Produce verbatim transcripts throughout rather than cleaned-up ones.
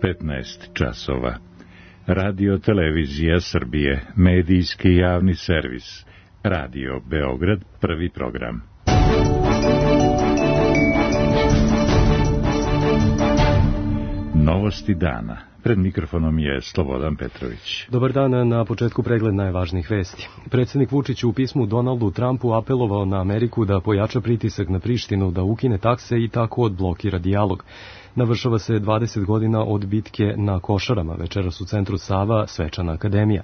petnaest časova. Radio Televizija Srbije, medijski javni servis. Radio Beograd, prvi program. Novosti dana. Pred mikrofonom je Slobodan Petrović. Dobar dan, na početku pregled najvažnijih vesti. Predsjednik Vučić u pismu Donaldu Trumpu apelovao na Ameriku da pojača pritisak na Prištinu, da ukine takse i tako odblokira dijalog. Navršava se dvadeset godina od bitke na Košarama, večeras u centru Sava, Svečana akademija.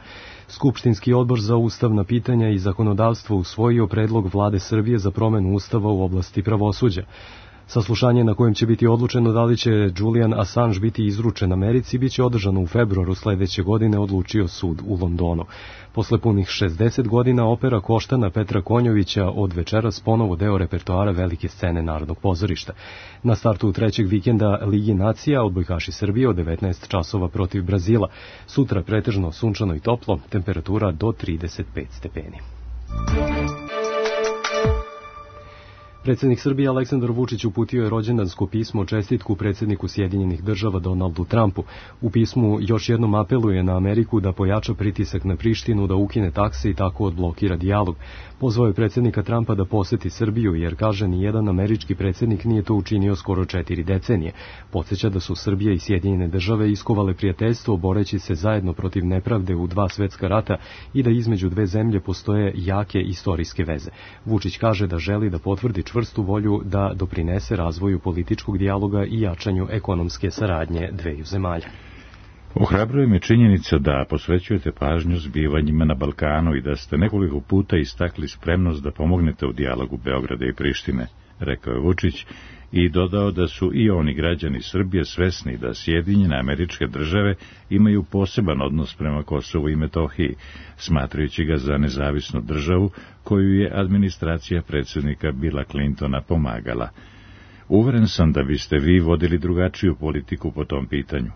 Skupštinski odbor za ustavna pitanja i zakonodavstvo usvojio predlog vlade Srbije za promenu ustava u oblasti pravosuđa. Saslušanje na kojem će biti odlučeno da li će Julian Assange biti izručen Americi biće održano u februaru sledeće godine, odlučio sud u Londonu. Posle punih šezdeset godina opera Koštana Petra Konjovića od večeras ponovo deo repertoara velike scene Narodnog pozorišta. Na startu trećeg vikenda Ligi nacija odbojkaši Srbije od devetnaest časova protiv Brazila. Sutra pretežno sunčano i toplo, temperatura do trideset pet stepeni. Predsjednik Srbije Aleksandar Vučić uputio je rođendansko pismo čestitku predsjedniku Sjedinjenih država Donaldu Trumpu. U pismu još jednom apeluje na Ameriku da pojača pritisak na Prištinu, da ukine takse i tako odblokira dijalog. Pozvao je predsjednika Trumpa da poseti Srbiju, jer kaže ni jedan američki predsjednik nije to učinio skoro četiri decenije. Podsjeća da su Srbija i Sjedinjene države iskovale prijateljstvo boreći se zajedno protiv nepravde u dva svetska rata i da između dve zemlje postoje jake istorijske veze. Vučić kaže da želi da potvrdi čvrstu volju da doprinese razvoju političkog dijaloga i jačanju ekonomske saradnje dveju zemalja. Ohrabruje me činjenica da posvećujete pažnju zbivanjima na Balkanu i da ste nekoliko puta istakli spremnost da pomognete u dijalogu Beograda i Prištine, rekao je Vučić i dodao da su i oni građani Srbije svesni da Sjedinjene Američke Države imaju poseban odnos prema Kosovu i Metohiji, smatrajući ga za nezavisnu državu koju je administracija predsjednika Billa Clintona pomagala. Uveren sam da biste vi vodili drugačiju politiku po tom pitanju.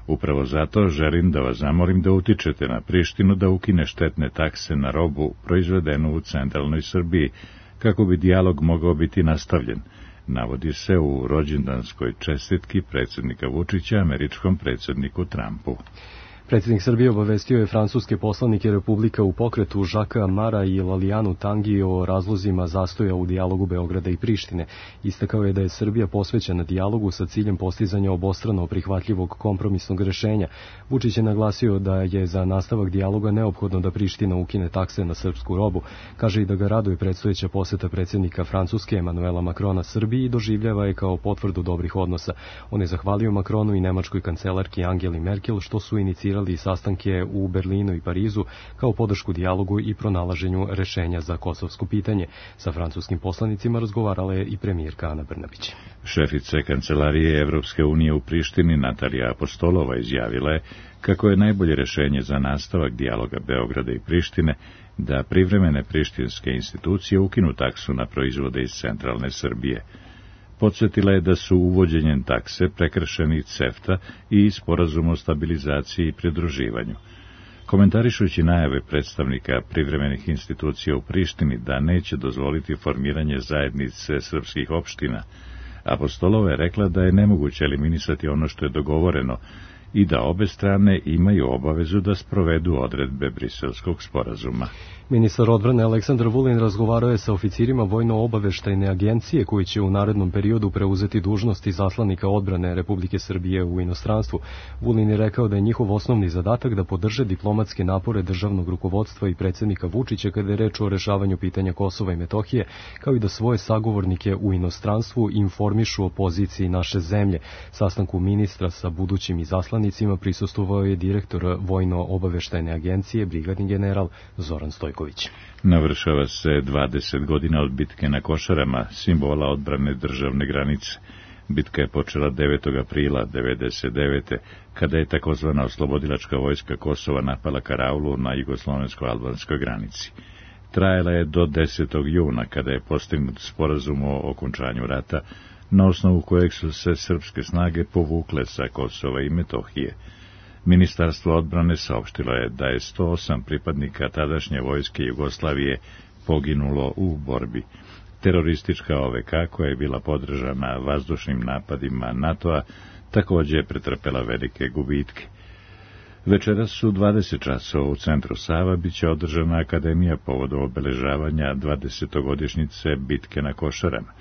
Upravo zato želim da vas zamolim da utičete na Prištinu da ukine štetne takse na robu proizvedenu u centralnoj Srbiji, kako bi dijalog mogao biti nastavljen, navodi se u rođendanskoj čestitki predsjednika Vučića američkom predsjedniku Trumpu. Predsjednik Srbije obavestio je francuske poslanike Republika u pokretu Žaka Mara i Lalijanu Tangi o razlozima zastoja u dijalogu Beograda i Prištine. Istakao je da je Srbija posvećena dijalogu sa ciljem postizanja obostrano prihvatljivog kompromisnog rešenja. Vučić je naglasio da je za nastavak dijaloga neophodno da Priština ukine takse na srpsku robu. Kaže i da ga raduje predstojeća poseta predsjednika Francuske Emanuela Macrona Srbiji i doživljava je kao potvrdu dobrih odnosa. On je zahvalio Macronu i nemačkoj kancelarki Angeli Merkel što su inicirali i sastanke u Berlinu i Parizu kao podršku dijalogu i pronalaženju rešenja za kosovsko pitanje. Sa francuskim poslanicima razgovarala je i premijerka Ana Brnabić. Šefice Kancelarije Evropske unije u Prištini Natalija Apostolova izjavila je kako je najbolje rešenje za nastavak dijaloga Beograda i Prištine da privremene prištinske institucije ukinu taksu na proizvode iz centralne Srbije. Podsjetila je da su uvođenjem takse prekršeni CEFTA i Sporazum o stabilizaciji i pridruživanju. Komentarišući najave predstavnika privremenih institucija u Prištini da neće dozvoliti formiranje zajednice srpskih opština, Apostolova je rekla da je nemoguće eliminisati ono što je dogovoreno i da obe strane imaju obavezu da sprovedu odredbe Briselskog sporazuma. Ministar odbrane Aleksandar Vulin razgovarao je sa oficirima vojno-obaveštajne agencije koji će u narednom periodu preuzeti dužnost izaslanika odbrane Republike Srbije u inostranstvu. Vulin je rekao da je njihov osnovni zadatak da podrže diplomatske napore državnog rukovodstva i predsjednika Vučića kada je reč o rešavanju pitanja Kosova i Metohije, kao i da svoje sagovornike u inostranstvu informišu o poziciji naše zemlje. Sastanku ministra sa budućim izaslanicima prisustvovao je direktor vojno-obaveštajne agencije, brigadni general Zoran Stojković. Navršava se dvadeset godina od bitke na Košarama, simbola odbrane državne granice. Bitka je počela devetog aprila devedeset devete kada je takozvana oslobodilačka vojska Kosova napala Karaulu na jugoslovensko-albanskoj granici. Trajala je do desetog juna kada je postignut sporazum o okončanju rata, na osnovu kojeg su se srpske snage povukle sa Kosova i Metohije. Ministarstvo odbrane saopštilo je da je sto osam pripadnika tadašnje vojske Jugoslavije poginulo u borbi. Teroristička O V K, koja je bila podržana vazdušnim napadima NATO-a, također je pretrpela velike gubitke. Večeras su dvadeset časova u centru Sava biće održana akademija povodom obeležavanja dvadesetogodišnjice bitke na Košarama.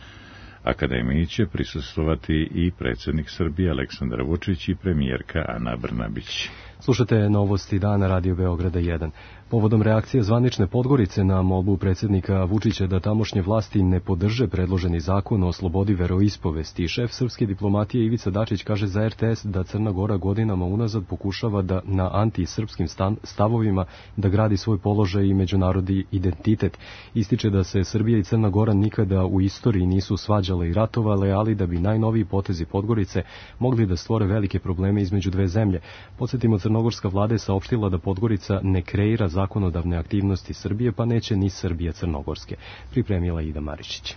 Akademiji će prisustvovati i predsjednik Srbije Aleksandar Vučić i premijerka Ana Brnabić. Slušate novosti dana Radio Beograda jedan. Povodom reakcije zvanične Podgorice na molbu predsjednika Vučića da tamošnje vlasti ne podrže predloženi zakon o slobodi veroispovesti, šef srpske diplomatije Ivica Dačić kaže za er te es da Crna Gora godinama unazad pokušava da na antisrpskim stavovima da gradi svoj položaj i međunarodni identitet. Ističe da se Srbija i Crna Gora nikada u istoriji nisu svađale i ratovale, ali da bi najnoviji potezi Podgorice mogli da stvore velike probleme između dve zemlje. Podsjetimo, crnogorska vlada je saopštila da Podgorica ne kreira zakonodavne aktivnosti Srbije, pa neće ni Srbija crnogorske. Pripremila Ida Maričić.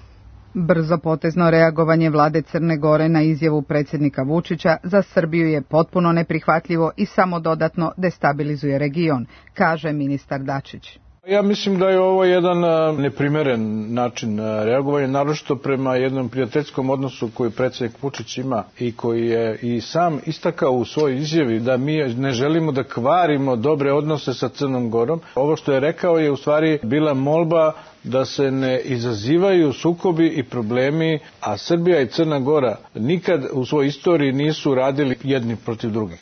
Brzo potezno reagovanje vlade Crne Gore na izjavu predsjednika Vučića za Srbiju je potpuno neprihvatljivo i samo dodatno destabilizuje region, kaže ministar Dačić. Ja mislim da je ovo jedan neprimeren način reagovanja, naročito prema jednom prijateljskom odnosu koji predsjednik Vučić ima i koji je i sam istakao u svojoj izjavi da mi ne želimo da kvarimo dobre odnose sa Crnom Gorom. Ovo što je rekao je u stvari bila molba da se ne izazivaju sukobi i problemi, a Srbija i Crna Gora nikad u svojoj istoriji nisu radili jedni protiv drugih.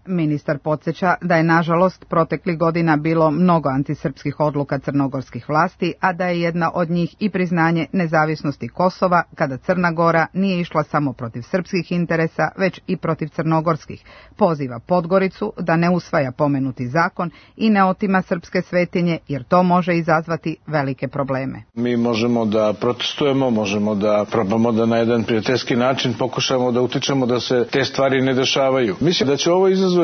Ministar podsjeća da je nažalost proteklih godina bilo mnogo antisrpskih odluka crnogorskih vlasti, a da je jedna od njih i priznanje nezavisnosti Kosova, kada Crna Gora nije išla samo protiv srpskih interesa, već i protiv crnogorskih. Poziva Podgoricu da ne usvaja pomenuti zakon i ne otima srpske svetinje, jer to može izazvati velike probleme. Mi možemo da protestujemo, možemo da probamo da na jedan prijateljski način pokušamo da utičemo da se te stvari ne dešavaju. Mislim da će ovo izazvati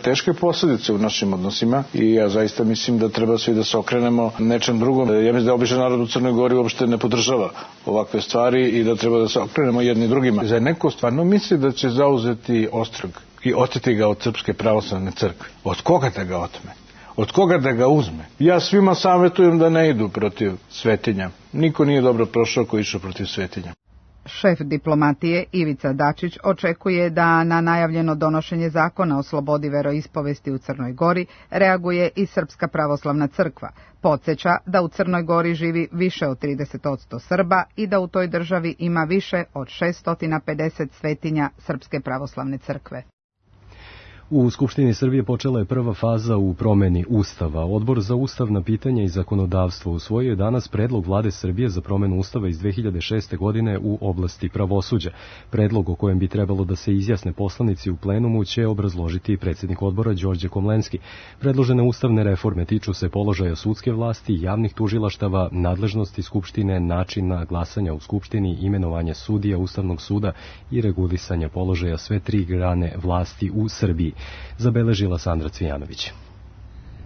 teške posljedice u našim odnosima i ja zaista mislim da treba svi da se okrenemo nečem drugom. Ja mislim da običan narod u Crnoj Gori uopšte ne podržava ovakve stvari i da treba da se okrenemo jedni drugima. Za neko stvarno misli da će zauzeti ostrog i oteti ga od Srpske pravoslavne crkve. Od koga da ga otme? Od koga da ga uzme? Ja svima savjetujem da ne idu protiv svetinja. Niko nije dobro prošao ko išao protiv svetinja. Šef diplomatije Ivica Dačić očekuje da na najavljeno donošenje zakona o slobodi veroispovesti u Crnoj Gori reaguje i Srpska pravoslavna crkva. Podsjeća da u Crnoj Gori živi više od trideset posto Srba i da u toj državi ima više od šesto pedeset svetinja Srpske pravoslavne crkve. U Skupštini Srbije počela je prva faza u promeni Ustava. Odbor za ustavna pitanja i zakonodavstvo usvojio je danas predlog vlade Srbije za promenu Ustava iz dve hiljade šeste. godine u oblasti pravosuđa. Predlog o kojem bi trebalo da se izjasne poslanici u plenumu će obrazložiti predsjednik odbora Đorđe Komlenski. Predložene ustavne reforme tiču se položaja sudske vlasti, javnih tužilaštava, nadležnosti Skupštine, načina glasanja u Skupštini, imenovanja sudija Ustavnog suda i regulisanja položaja sve tri grane vlasti u Srbiji. Zabeležila Sandra Cvijanović.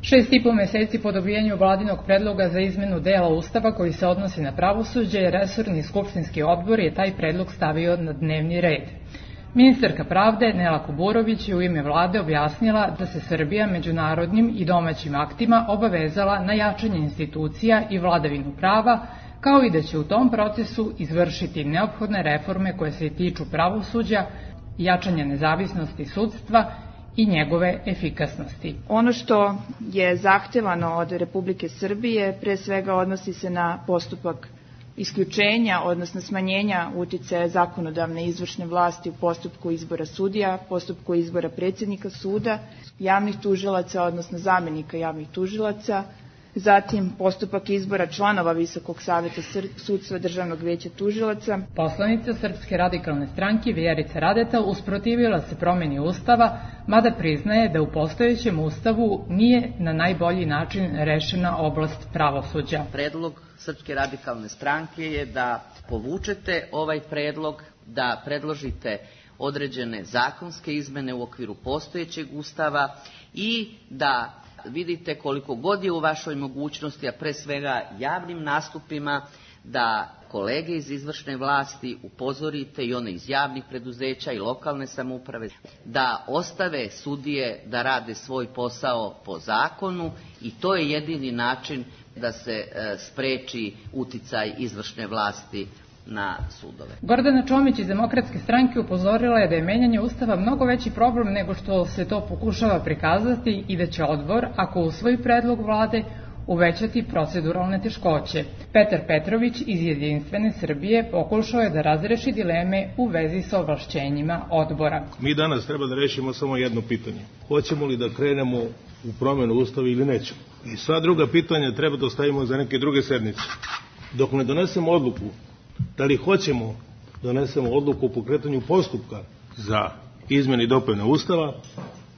Šest i po meseci po dobijanju vladinog predloga za izmenu dela Ustava koji se odnosi na pravosuđe, resorni skupštinski odbor je taj predlog stavio na dnevni red. Ministarka pravde Nela Kuburović je u ime vlade objasnila da se Srbija međunarodnim i domaćim aktima obavezala na jačanje institucija i vladavinu prava, kao i da će u tom procesu izvršiti neophodne reforme koje se tiču pravosuđa, jačanja nezavisnosti sudstva i njegove efikasnosti. Ono što je zahtevano od Republike Srbije pre svega odnosi se na postupak isključenja, odnosno smanjenja uticaja zakonodavne i izvršne vlasti u postupku izbora sudija, postupku izbora predsjednika suda, javnih tužilaca, odnosno zamenika javnih tužilaca, zatim postupak izbora članova Visokog saveta sudstva Državnog veća tužilaca. Poslanica Srpske radikalne stranke Vjerica Radeta usprotivila se promjeni Ustava, mada priznaje da u postojećem Ustavu nije na najbolji način rešena oblast pravosuđa. Predlog Srpske radikalne stranke je da povučete ovaj predlog, da predložite određene zakonske izmene u okviru postojećeg Ustava i da vidite koliko god je u vašoj mogućnosti, a pre svega javnim nastupima, da kolege iz izvršne vlasti upozorite i one iz javnih preduzeća i lokalne samouprave da ostave sudije da rade svoj posao po zakonu i to je jedini način da se e, spreči uticaj izvršne vlasti na sudove. Gordana Čomić iz Demokratske stranke upozorila je da je menjanje Ustava mnogo veći problem nego što se to pokušava prikazati i da će odbor, ako usvoji predlog vlade, uvećati proceduralne teškoće. Petar Petrović iz Jedinstvene Srbije pokušao je da razreši dileme u vezi sa ovlašćenjima odbora. Mi danas treba da rešimo samo jedno pitanje. Hoćemo li da krenemo u promenu Ustava ili nećemo? I sva druga pitanja treba da ostavimo za neke druge sednice. Dok ne donesemo odluku, da li hoćemo donesemo odluku o pokretanju postupka za izmene i dopune Ustava,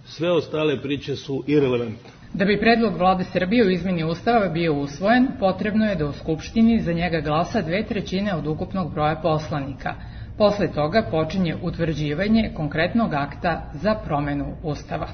sve ostale priče su irelevantne. Da bi predlog vlade Srbije u izmeni Ustava bio usvojen, potrebno je da u Skupštini za njega glasa dve trećine od ukupnog broja poslanika. Posle toga počinje utvrđivanje konkretnog akta za promenu Ustava.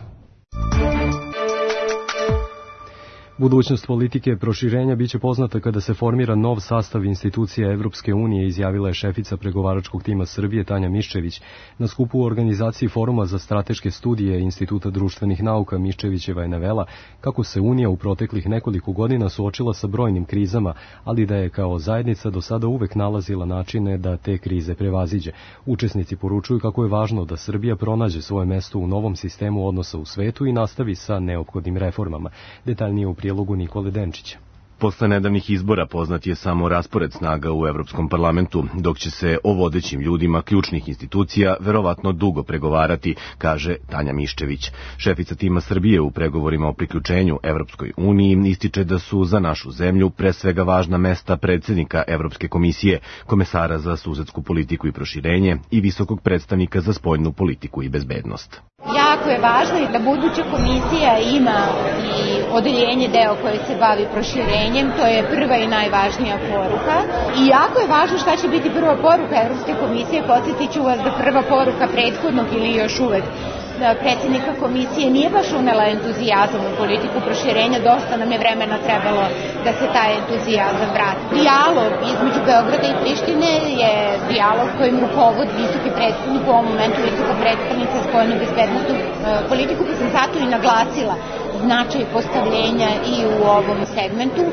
Budućnost politike proširenja biće poznata kada se formira nov sastav institucija Evropske unije, izjavila je šefica pregovaračkog tima Srbije Tanja Miščević. Na skupu u organizaciji Foruma za strateške studije Instituta društvenih nauka Miščevićeva je navela kako se Unija u proteklih nekoliko godina suočila sa brojnim krizama, ali da je kao zajednica do sada uvek nalazila načine da te krize prevaziđe. Učesnici poručuju kako je važno da Srbija pronađe svoje mesto u novom sistemu odnosa u svetu i nastavi sa neophodnim reformama. Detaljnije u prijelogu Nikole Denčića. Posle nedavnih izbora poznat je samo raspored snaga u Evropskom parlamentu, dok će se o vodećim ljudima ključnih institucija verovatno dugo pregovarati, kaže Tanja Miščević. Šefica tima Srbije u pregovorima o priključenju Evropskoj uniji ističe da su za našu zemlju pre svega važna mesta predsjednika Evropske komisije, komesara za susedsku politiku i proširenje i visokog predstavnika za spoljnu politiku i bezbednost. Jako je važno da buduća komisija ima i odeljenje deo koje se bavi proširenjem, to je prva i najvažnija poruka. I jako je važno šta će biti prva poruka Evropske komisije, podsjetit ću vas da prva poruka prethodnog ili još uvek predsjednika komisije nije baš unela entuzijazam u politiku proširenja, dosta nam je vremena trebalo da se taj entuzijazam vrati. Dijalog između Beograda i Prištine je dijalog kojim rukovodi visoki predstavnik, u ovom momentu visoka predstavnica spoljnu bezbednostnu politiku, pa sam zato i naglasila značaj postavljenja i u ovom segmentu,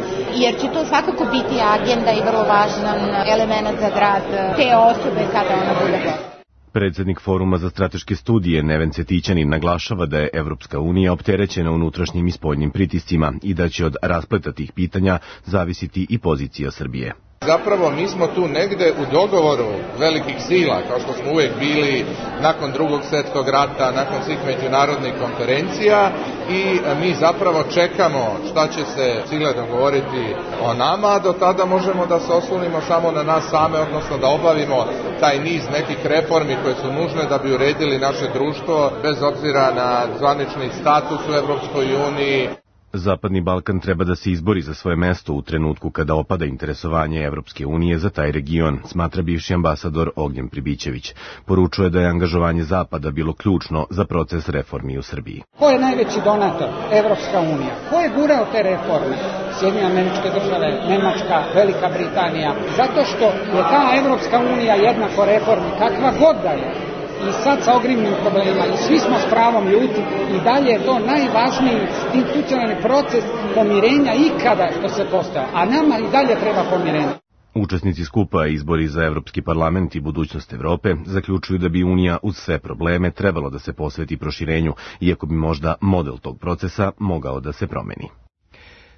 jer će to svakako biti agenda i vrlo važan element za grad te osobe kada ona bude gotovo. Predsednik Foruma za strateške studije Neven Cetićanin naglašava da je Evropska unija opterećena unutrašnjim i spoljnim pritiscima i da će od raspleta tih pitanja zavisiti i pozicija Srbije. Zapravo mi smo tu negde u dogovoru velikih sila, kao što smo uvek bili nakon drugog svjetskog rata, nakon svih međunarodnih konferencija, i mi zapravo čekamo šta će se sile dogovoriti o nama, a do tada možemo da se oslonimo samo na nas same, odnosno da obavimo taj niz nekih reformi koje su nužne da bi uredili naše društvo, bez obzira na zvanični status u Evropskoj uniji. Zapadni Balkan treba da se izbori za svoje mesto u trenutku kada opada interesovanje Evropske unije za taj region, smatra bivši ambasador Ognjen Pribićević. Poručuje da je angažovanje Zapada bilo ključno za proces reformi u Srbiji. Ko je najveći donator? Evropska unija. Ko je gurao te reforme? Sjedinjene Američke Države, Nemačka, Velika Britanija. Zato što je ta Evropska unija jednako reformi, kakva god da je. I sad sa ogromnim problemima, i svi smo s pravom ljuti, i dalje je to najvažniji institucionalni proces pomirenja ikada što se postaje, a nama i dalje treba pomirenje. Učesnici skupa Izbori za Evropski parlament i budućnost Evrope zaključuju da bi Unija uz sve probleme trebalo da se posveti proširenju, iako bi možda model tog procesa mogao da se promeni.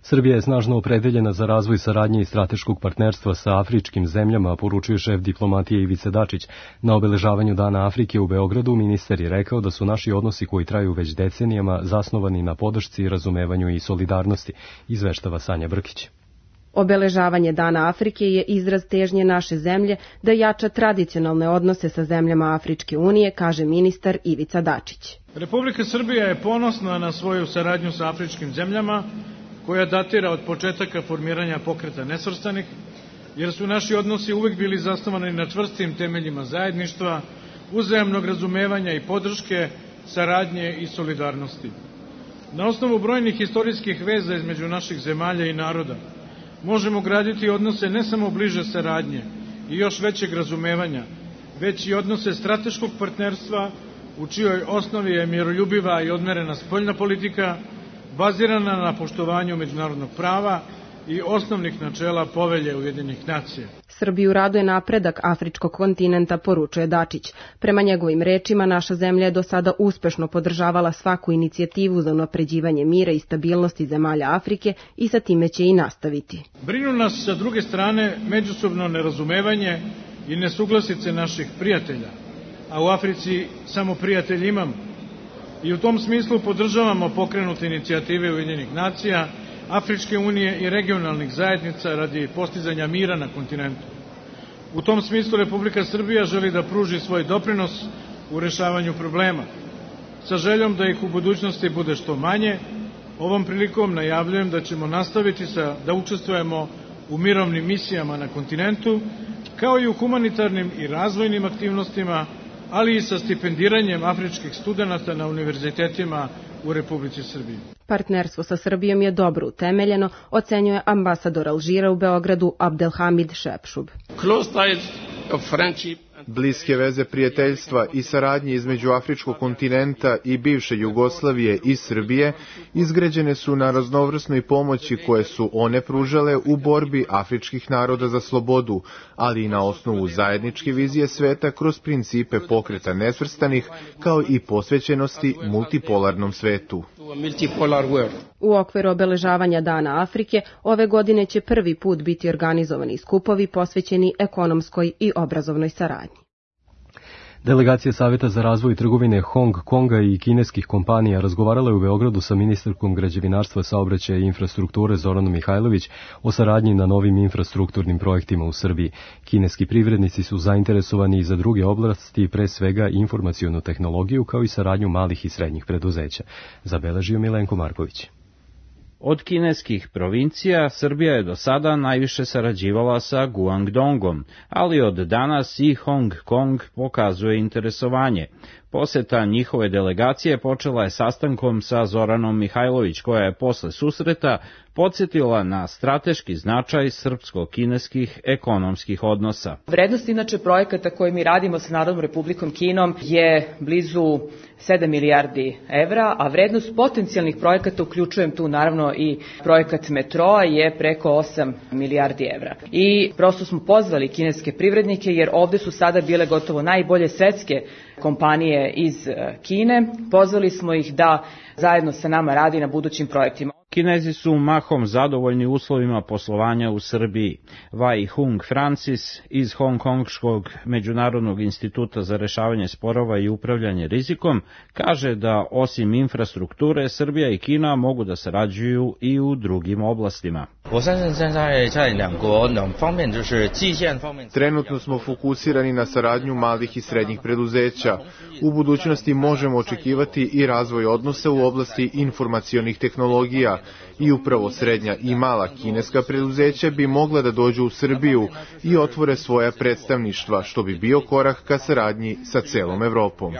Srbija je snažno opredeljena za razvoj saradnje i strateškog partnerstva sa afričkim zemljama, poručuje šef diplomatije Ivica Dačić. Na obeležavanju Dana Afrike u Beogradu ministar je rekao da su naši odnosi koji traju već decenijama zasnovani na podršci, razumevanju i solidarnosti, izveštava Sanja Brkić. Obeležavanje Dana Afrike je izraz težnje naše zemlje da jača tradicionalne odnose sa zemljama Afričke unije, kaže ministar Ivica Dačić. Republika Srbija je ponosna na svoju saradnju sa afričkim zemljama, koja datira od početaka formiranja Pokreta nesvrstanih, jer su naši odnosi uvek bili zasnovani na čvrstim temeljima zajedništva, uzajamnog razumevanja i podrške, saradnje i solidarnosti. Na osnovu brojnih istorijskih veza između naših zemalja i naroda možemo graditi odnose ne samo bliže saradnje i još većeg razumevanja, već i odnose strateškog partnerstva u čijoj osnovi je miroljubiva i odmerena spoljna politika, bazirana na poštovanju međunarodnog prava, i osnovnih načela Povelje Ujedinjenih nacija. Srbiju raduje napredak afričkog kontinenta, poručuje Dačić. Prema njegovim rečima, naša zemlja je do sada uspešno podržavala svaku inicijativu za unapređivanje mira i stabilnosti zemalja Afrike i sa time će i nastaviti. Brinu nas sa druge strane međusobno nerazumevanje i nesuglasice naših prijatelja, a u Africi samo prijatelji imamo. I u tom smislu podržavamo pokrenute inicijative Ujedinjenih nacija, Afričke unije i regionalnih zajednica radi postizanja mira na kontinentu. U tom smislu Republika Srbija želi da pruži svoj doprinos u rešavanju problema. Sa željom da ih u budućnosti bude što manje, ovom prilikom najavljujem da ćemo nastaviti sa, da učestvujemo u mirovnim misijama na kontinentu, kao i u humanitarnim i razvojnim aktivnostima, ali i sa stipendiranjem afričkih studenata na univerzitetima u Republici Srbiji. Partnerstvo sa Srbijom je dobro utemeljeno, ocenjuje ambasador Alžira u Beogradu Abdelhamid Šepšub. Bliske veze prijateljstva i saradnje između afričkog kontinenta i bivše Jugoslavije i Srbije izgrađene su na raznovrsnoj pomoći koje su one pružale u borbi afričkih naroda za slobodu, ali i na osnovu zajedničke vizije sveta kroz principe pokreta nesvrstanih, kao i posvećenosti multipolarnom svetu. U okviru obeležavanja Dana Afrike, ove godine će prvi put biti organizovani skupovi posvećeni ekonomskoj i obrazovnoj saradnji. Delegacija Saveta za razvoj trgovine Hong Konga i kineskih kompanija razgovarala je u Beogradu sa ministarkom građevinarstva, saobraćaja i infrastrukture Zoranom Mihajlović o saradnji na novim infrastrukturnim projektima u Srbiji. Kineski privrednici su zainteresovani i za druge oblasti, pre svega informacionu tehnologiju, kao i saradnju malih i srednjih preduzeća. Zabeležio Milenko Marković. Od kineskih provincija Srbija je do sada najviše sarađivala sa Guangdongom, ali od danas i Hong Kong pokazuje interesovanje. Poseta njihove delegacije počela je sastankom sa Zoranom Mihajlović, koja je posle susreta podsjetila na strateški značaj srpsko-kineskih ekonomskih odnosa. Vrednost inače projekata koje mi radimo sa Narodnom Republikom Kinom je blizu sedam milijardi evra, a vrednost potencijalnih projekata, uključujem tu naravno i projekat metroa, je preko osam milijardi evra. I prosto smo pozvali kineske privrednike, jer ovde su sada bile gotovo najbolje svetske kompanije iz Kine. Pozvali smo ih da zajedno sa nama radi na budućim projektima. Kinezi su mahom zadovoljni uslovima poslovanja u Srbiji. Wai Hung Francis iz Hongkongškog međunarodnog instituta za rešavanje sporova i upravljanje rizikom kaže da osim infrastrukture Srbija i Kina mogu da sarađuju i u drugim oblastima. Trenutno smo fokusirani na saradnju malih i srednjih preduzeća. U budućnosti možemo očekivati i razvoj odnosa u oblasti informacionih tehnologija i upravo srednja i mala kineska preduzeća bi mogla da dođu u Srbiju i otvore svoja predstavništva, što bi bio korak ka saradnji sa celom Evropom.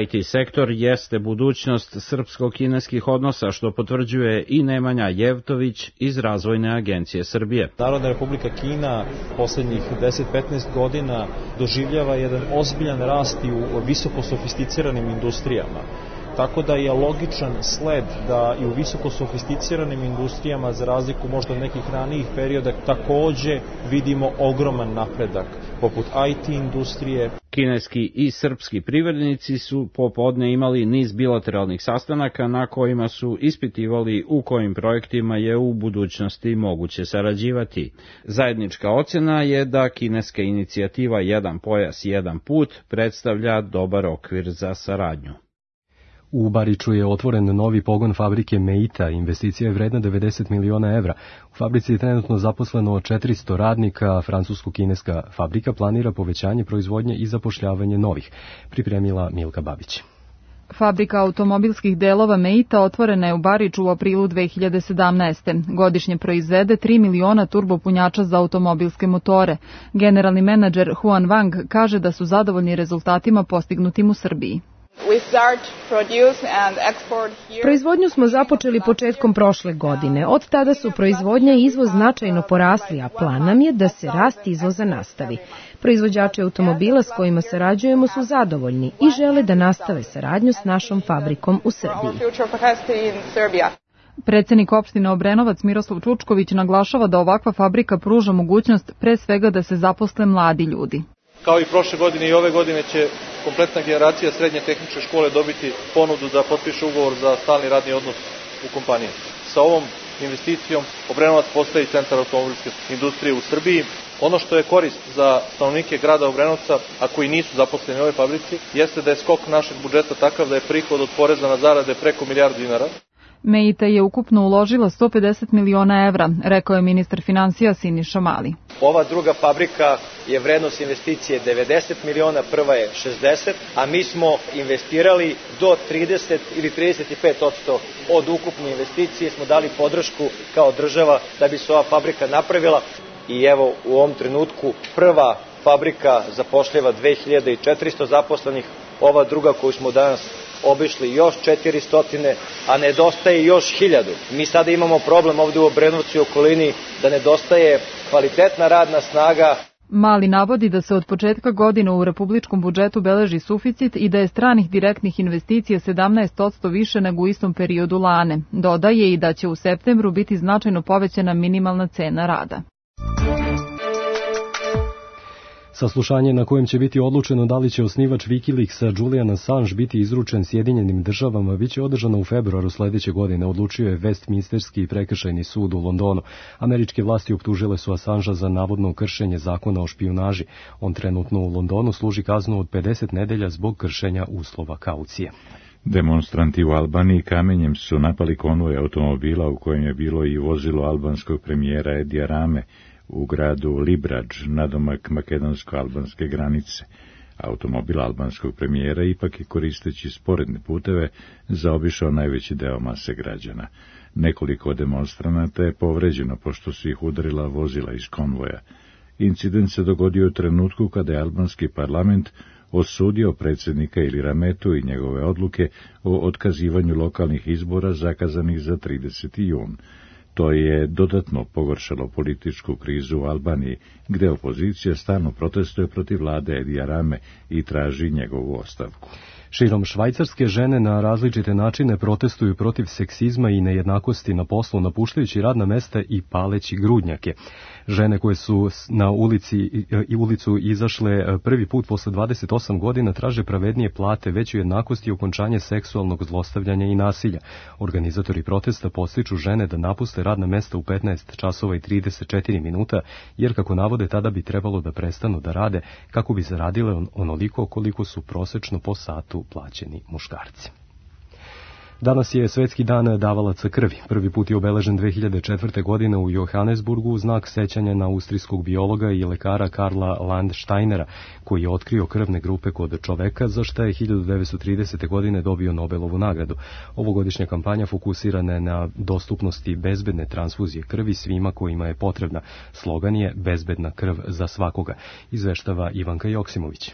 I T sektor jeste budućnost srpsko-kineskih odnosa, što potvrđuje i Nemanja Jevtović iz Razvojne agencije Srbije. Narodna Republika Kina poslednjih deset do petnaest godina doživljava jedan ozbiljan rast i u visoko sofisticiranim industrijama. Tako da je logičan sled da i u visoko sofisticiranim industrijama, za razliku možda od nekih ranijih perioda, takođe vidimo ogroman napredak, poput I T industrije. Kineski i srpski privrednici su popodne imali niz bilateralnih sastanaka na kojima su ispitivali u kojim projektima je u budućnosti moguće sarađivati. Zajednička ocena je da kineska inicijativa Jedan pojas, jedan put predstavlja dobar okvir za saradnju. U Bariču je otvoren novi pogon fabrike Meita, investicija je vredna devedeset miliona evra. U fabrici je trenutno zaposleno četiristo radnika, a francusko-kineska fabrika planira povećanje proizvodnje i zapošljavanje novih, pripremila Milka Babić. Fabrika automobilskih delova Meita otvorena je u Bariču u aprilu dve hiljade sedamnaeste. Godišnje proizvede tri miliona turbopunjača za automobilske motore. Generalni menadžer Huan Wang kaže da su zadovoljni rezultatima postignutim u Srbiji. Proizvodnju smo započeli početkom prošle godine. Od tada su proizvodnja i izvoz značajno porasli, a plan nam je da se rast izvoza nastavi. Proizvođači automobila s kojima sarađujemo su zadovoljni i žele da nastave saradnju s našom fabrikom u Srbiji. Predsednik opštine Obrenovac Miroslav Čučković naglašava da ovakva fabrika pruža mogućnost pre svega da se zaposle mladi ljudi. Kao i prošle godine i ove godine će kompletna generacija srednje tehničke škole dobiti ponudu da potpiše ugovor za stalni radni odnos u kompaniji. Sa ovom investicijom Obrenovac postaje centar automobilske industrije u Srbiji. Ono što je korist za stanovnike grada Obrenovca, a koji nisu zaposleni u ovoj fabrici, jeste da je skok našeg budžeta takav da je prihod od poreza na zarade preko milijardu dinara. Meita je ukupno uložila sto pedeset miliona evra, rekao je ministar finansija Siniša Mali. Ova druga fabrika je vrednost investicije devedeset miliona, prva je šezdeset, a mi smo investirali do trideset ili trideset pet posto od ukupne investicije, smo dali podršku kao država da bi se ova fabrika napravila. I evo u ovom trenutku prva fabrika zapošljava dve hiljade četiristo zaposlenih, ova druga koju smo danas obišli još četiristo, a nedostaje još hiljadu. Mi sada imamo problem ovde u Obrenovcu i okolini da nedostaje kvalitetna radna snaga. Mali navodi da se od početka godine u republičkom budžetu beleži suficit i da je stranih direktnih investicija sedamnaest posto više nego u istom periodu lane. Dodaje i da će u septembru biti značajno povećana minimalna cena rada. Saslušanje na kojem će biti odlučeno da li će osnivač Wikileaksa Julian Assange biti izručen Sjedinjenim državama biće održano u februaru sledeće godine, odlučio je Westminsterski prekršajni sud u Londonu. Američke vlasti optužile su Assangea za navodno kršenje zakona o špijunaži. On trenutno u Londonu služi kaznu od pedeset nedelja zbog kršenja uslova kaucije. Demonstranti u Albaniji kamenjem su napali konvoj automobila u kojem je bilo i vozilo albanskog premijera Edija Rame u gradu Libradž, nadomak makedonsko-albanske granice. Automobil albanskog premijera ipak je, koristeći sporedne puteve, zaobišao najveći deo mase građana. Nekoliko demonstranata je povređeno pošto su ih udarila vozila iz konvoja. Incident se dogodio u trenutku kada je albanski parlament osudio predsjednika Ili Rametu i njegove odluke o otkazivanju lokalnih izbora zakazanih za trideseti jun. To je dodatno pogoršalo političku krizu u Albaniji, gde opozicija stalno protestuje protiv vlade Edija Rame i traži njegovu ostavku. Širom Švajcarske žene na različite načine protestuju protiv seksizma i nejednakosti na poslu, napuštajući radna mesta i paleći grudnjake. Žene koje su na ulici i ulicu izašle prvi put posle dvadeset osam godina traže pravednije plate, veću jednakost i okončanje seksualnog zlostavljanja i nasilja. Organizatori protesta podstiču žene da napuste radna mesta u petnaest časova i trideset četiri minuta, jer kako navode tada bi trebalo da prestanu da rade kako bi zaradile onoliko koliko su prosečno po satu plaćeni muškarci. Danas je Svetski dan davalaca krvi. Prvi put je obeležen dve hiljade četvrte. godine u Johannesburgu u znak sećanja na austrijskog biologa i lekara Karla Landsteinera, koji je otkrio krvne grupe kod čoveka, za što je hiljadu devetsto tridesete. godine dobio Nobelovu nagradu. Ovogodišnja kampanja fokusirana je na dostupnosti bezbedne transfuzije krvi svima kojima je potrebna. Slogan je Bezbedna krv za svakoga, izveštava Ivanka Joksimović.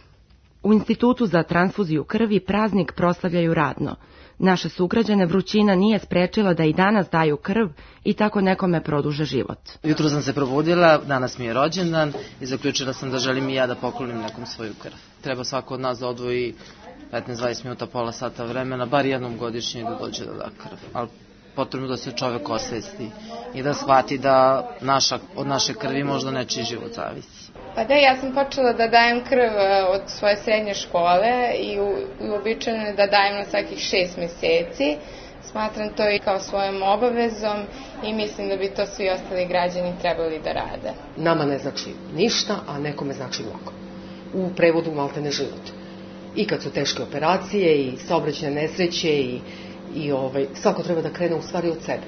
U Institutu za transfuziju krvi praznik proslavljaju radno. Naše sugrađane vrućina nije sprečila da i danas daju krv i tako nekome produže život. Jutro sam se probudila, danas mi je rođendan i zaključila sam da želim i ja da poklonim nekom svoju krv. Treba svako od nas da odvoji petnaest do dvadeset minuta, pola sata vremena, bar jednom godišnje da dođe da da krv. Ali potrebno da se čovek osvesti i da shvati da naša, od naše krvi možda nečiji život zavisi. Pa da, ja sam počela da dajem krv od svoje srednje škole i uobičajeno je da dajem na svakih šest meseci. Smatram to i kao svojom obavezom i mislim da bi to svi ostali građani trebali da rade. Nama ne znači ništa, a nekome znači mnogo. U prevodu maltene život. I kad su teške operacije i saobraćajne nesreće i, i ovaj, svako treba da krene u stvari od sebe.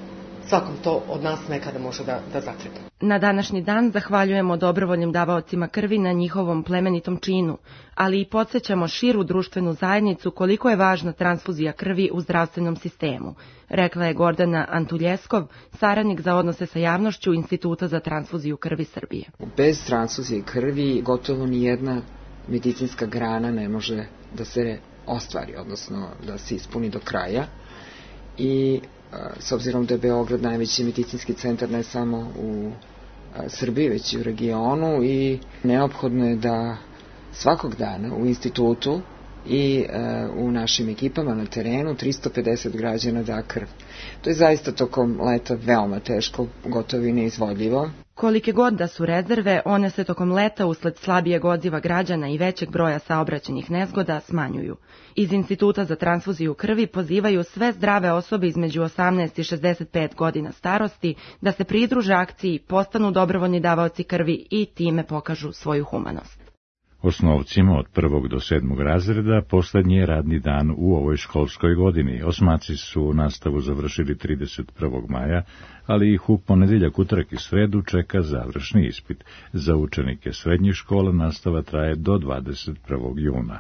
Svakom to od nas nekada može da, da zatreba. Na današnji dan zahvaljujemo dobrovoljnim davaocima krvi na njihovom plemenitom činu, ali i podsjećamo širu društvenu zajednicu koliko je važna transfuzija krvi u zdravstvenom sistemu, rekla je Gordana Antuljeskov, saradnik za odnose sa javnošću Instituta za transfuziju krvi Srbije. Bez transfuzije krvi gotovo ni jedna medicinska grana ne može da se ostvari, odnosno da se ispuni do kraja. I s obzirom da je Beograd najveći medicinski centar ne samo u Srbiji, već i u regionu, i neophodno je da svakog dana u institutu i e, u našim ekipama na terenu tristo pedeset građana da krv. To je zaista tokom leta veoma teško, gotovo i neizvodljivo. Kolike god da su rezerve, one se tokom leta usled slabijeg odziva građana i većeg broja saobraćajnih nezgoda smanjuju. Iz Instituta za transfuziju krvi pozivaju sve zdrave osobe između osamnaest i šezdeset pet godina starosti da se pridruže akciji, postanu dobrovoljni davaoci krvi i time pokažu svoju humanost. Osnovcima od prvog do sedmog razreda poslednji je radni dan u ovoj školskoj godini. Osmaci su nastavu završili trideset prvog maja, ali ih u ponedeljak, utorak i sredu čeka završni ispit. Za učenike srednjih škola nastava traje do dvadeset prvog juna.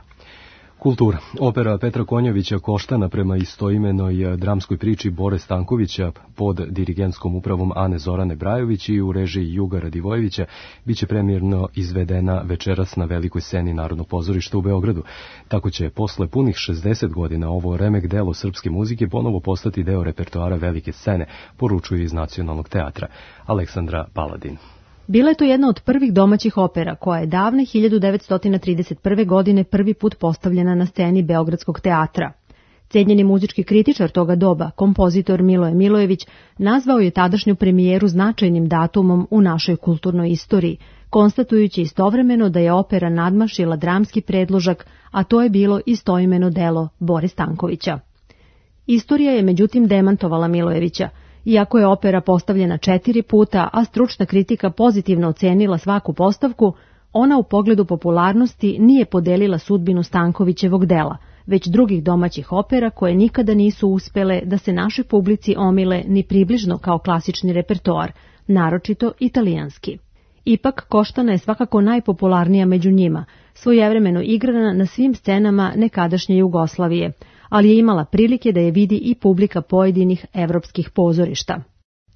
Kultura. Opera Petra Konjovića Koštana prema istoimenoj dramskoj priči Bore Stankovića pod dirigentskom upravom Ane Zorane Brajović i u režiji Juga Radivojevića biće premijerno izvedena večeras na velikoj sceni Narodnog pozorišta u Beogradu. Tako će posle punih šezdeset godina ovo remek delo srpske muzike ponovo postati deo repertoara velike scene, poručuje iz Nacionalnog teatra. Aleksandra Paladin. Bila je to jedna od prvih domaćih opera koja je davne hiljadu devetsto trideset prve. godine prvi put postavljena na sceni Beogradskog teatra. Cenjeni muzički kritičar toga doba, kompozitor Miloje Milojević, nazvao je tadašnju premijeru značajnim datumom u našoj kulturnoj istoriji, konstatujući istovremeno da je opera nadmašila dramski predložak, a to je bilo istoimeno delo Bore Stankovića. Istorija je međutim demantovala Milojevića. Iako je opera postavljena četiri puta, a stručna kritika pozitivno ocenila svaku postavku, ona u pogledu popularnosti nije podelila sudbinu Stankovićevog dela, već drugih domaćih opera koje nikada nisu uspele da se našoj publici omile ni približno kao klasični repertoar, naročito italijanski. Ipak Koštana je svakako najpopularnija među njima, svojevremeno igrana na svim scenama nekadašnje Jugoslavije, ali je imala prilike da je vidi i publika pojedinih evropskih pozorišta.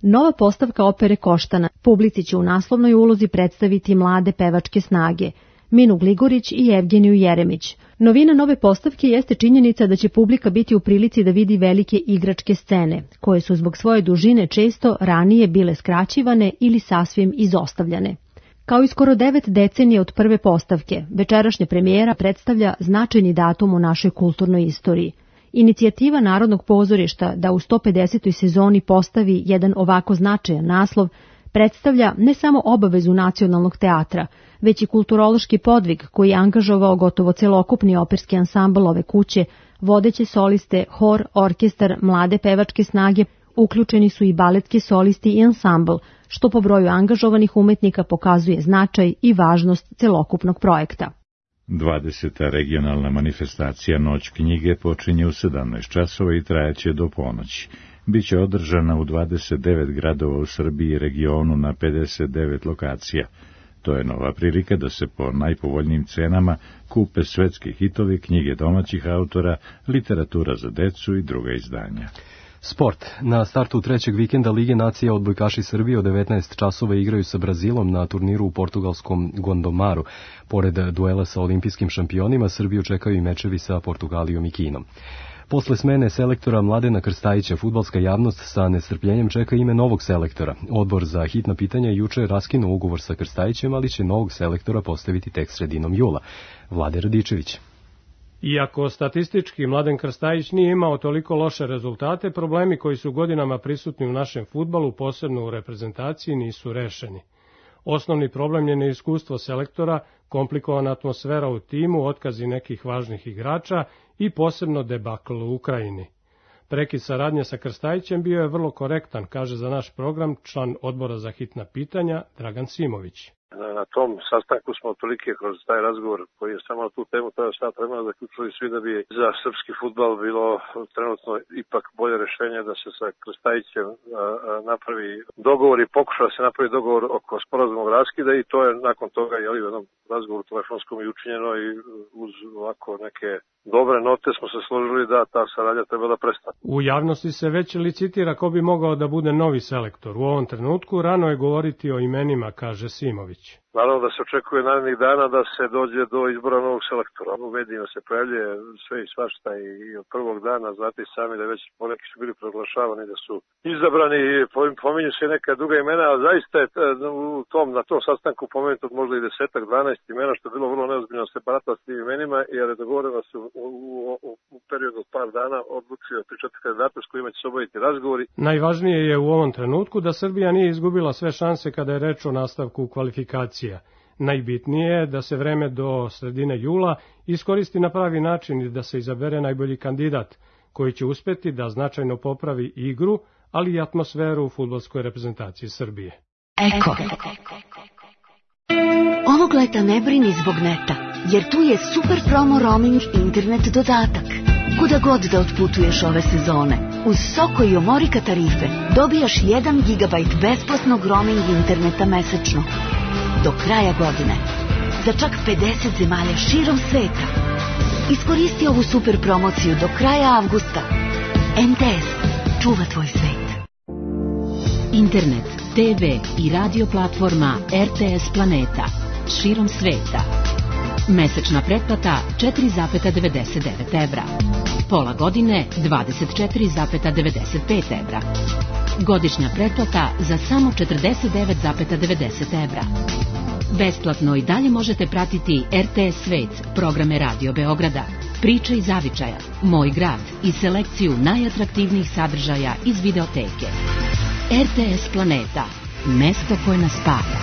Nova postavka opere Koštana publici će u naslovnoj ulozi predstaviti mlade pevačke snage, Minu Gligorić i Evgeniju Jeremić. Novina nove postavke jeste činjenica da će publika biti u prilici da vidi velike igračke scene, koje su zbog svoje dužine često ranije bile skraćivane ili sasvim izostavljane. Kao i skoro devet decenije od prve postavke, večerašnja premijera predstavlja značajni datum u našoj kulturnoj istoriji. Inicijativa Narodnog pozorišta da u sto pedesetoj sezoni postavi jedan ovako značajan naslov predstavlja ne samo obavezu Nacionalnog teatra, već i kulturološki podvig koji je angažovao gotovo celokupni operski ansambl ove kuće, vodeće soliste, hor, orkestar, mlade pevačke snage, uključeni su i baletski solisti i ansambl, što po broju angažovanih umetnika pokazuje značaj i važnost celokupnog projekta. dvadeseta regionalna manifestacija Noć knjige počinje u sedamnaest časova i trajaće do ponoći. Biće održana u dvadeset devet gradova u Srbiji i regionu na pedeset devet lokacija. To je nova prilika da se po najpovoljnijim cenama kupe svetski hitovi, knjige domaćih autora, literatura za decu i druga izdanja. Sport. Na startu trećeg vikenda Lige nacija odbojkaši Srbije od devetnaest časova igraju sa Brazilom na turniru u portugalskom Gondomaru. Pored duela sa olimpijskim šampionima, Srbiju čekaju i mečevi sa Portugalijom i Kinom. Posle smene selektora Mladena Krstajića, fudbalska javnost sa nestrpljenjem čeka ime novog selektora. Odbor za hitna pitanja juče je raskinuo ugovor sa Krstajićem, ali će novog selektora postaviti tek sredinom jula. Vlade Radičević. Iako statistički Mladen Krstajić nije imao toliko loše rezultate, problemi koji su godinama prisutni u našem fudbalu, posebno u reprezentaciji, nisu rešeni. Osnovni problem je neiskustvo selektora, komplikovana atmosfera u timu, otkazi nekih važnih igrača i posebno debakl u Ukrajini. Prekid saradnje sa Krstajićem bio je vrlo korektan, kaže za naš program član odbora za hitna pitanja Dragan Simović. Na tom sastanku smo otprilike kroz taj razgovor koji je samo na tu temu tada sat vremena zaključili svi da bi za srpski fudbal bilo trenutno ipak bolje rešenje da se sa Krstajićem napravi dogovor i pokuša da se napravi dogovor oko sporazumnog raskida i to je nakon toga jeli, u jednom razgovoru telefonskom i učinjeno i uz ovako neke dobre note smo se složili da ta saradnja treba da prestane. U javnosti se već licitira ko bi mogao da bude novi selektor. U ovom trenutku rano je govoriti o imenima, kaže Simović. Naravno da se očekuje narednih dana da se dođe do izbora novog selektora. U medijima se pojavljuje sve i svašta i od prvog dana, znate i sami da već poneki su bili proglašavani da su izabrani i pominju se neka druga imena, a zaista je u tom, na tom sastanku pomenuto možda i desetak, dvanaest imena, što je bilo vrlo neozbiljno se barata s tim imenima, jer je dogovoreno da su u, u, u periodu od par dana odluči od tri četiri kandidata s kojima će se obaviti razgovori. Najvažnije je u ovom trenutku da Srbija nije izgubila sve šanse kada je reč o nastavku kvalifikacija. Najbitnije je da se vreme do sredine jula iskoristi na pravi način i da se izabere najbolji kandidat, koji će uspeti da značajno popravi igru, ali i atmosferu u fudbalskoj reprezentaciji Srbije. Eko. Ovog leta ne brini zbog neta, jer tu je super promo roaming internet dodatak. Kuda god da otputuješ ove sezone, uz Soko i Omorika tarife dobijaš jedan gigabajt besplatnog roaming interneta mesečno. Do kraja godine. Za čak pedeset zemalja širom sveta. Iskoristi ovu super promociju do kraja avgusta. M T S. Čuva tvoj svet. Internet, te ve i radio platforma R T S Planeta. Širom sveta. Mesečna pretplata četiri zarez devedeset devet evra. Pola godine dvadeset četiri zarez devedeset pet evra. Godišnja pretplata za samo četrdeset devet zarez devedeset evra. Besplatno i dalje možete pratiti R T S Svet, programe Radio Beograda, Priče iz Zavičaja, Moj grad i selekciju najatraktivnijih sadržaja iz videoteke. R T S Planeta, mesto koje nas spaja.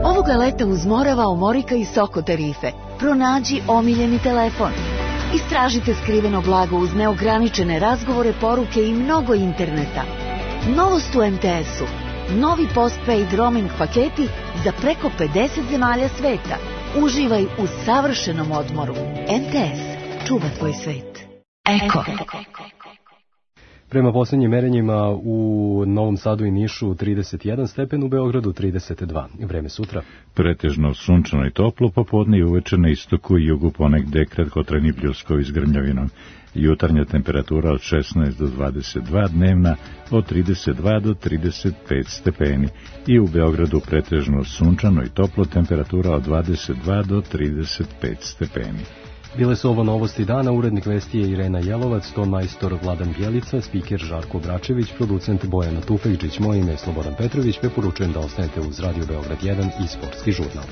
Ovoga leta uz Morava, Omorika i Soko tarife pronađi omiljeni telefon. Istražite skriveno blago uz neograničene razgovore, poruke i mnogo interneta. Novost u M T S-u. Novi postpaid roaming paketi za preko pedeset zemalja sveta. Uživaj u savršenom odmoru. M T S. Čuva tvoj svet. Eko. Prema posljednjim merenjima u Novom Sadu i Nišu trideset jedan stepen, u Beogradu trideset dva. Vreme sutra. Pretežno sunčano i toplo, popodne i uveče na istoku i jugu ponegde kratkotrajni pljuskovi s grmljavinom. Jutarnja temperatura od šesnaest do dvadeset dva, dnevna od trideset dva do trideset pet stepeni. I u Beogradu pretežno sunčano i toplo, temperatura od dvadeset dva do trideset pet stepeni. Bile su ovo novosti dana, urednik vesti je Irena Jelovac, ton majstor Vladan Bjelica, spiker Žarko Bračević, producent Bojana Tufekđić, moje ime je Slobodan Petrović, preporučujem da ostanete uz Radio Beograd jedan i sportski žurnal.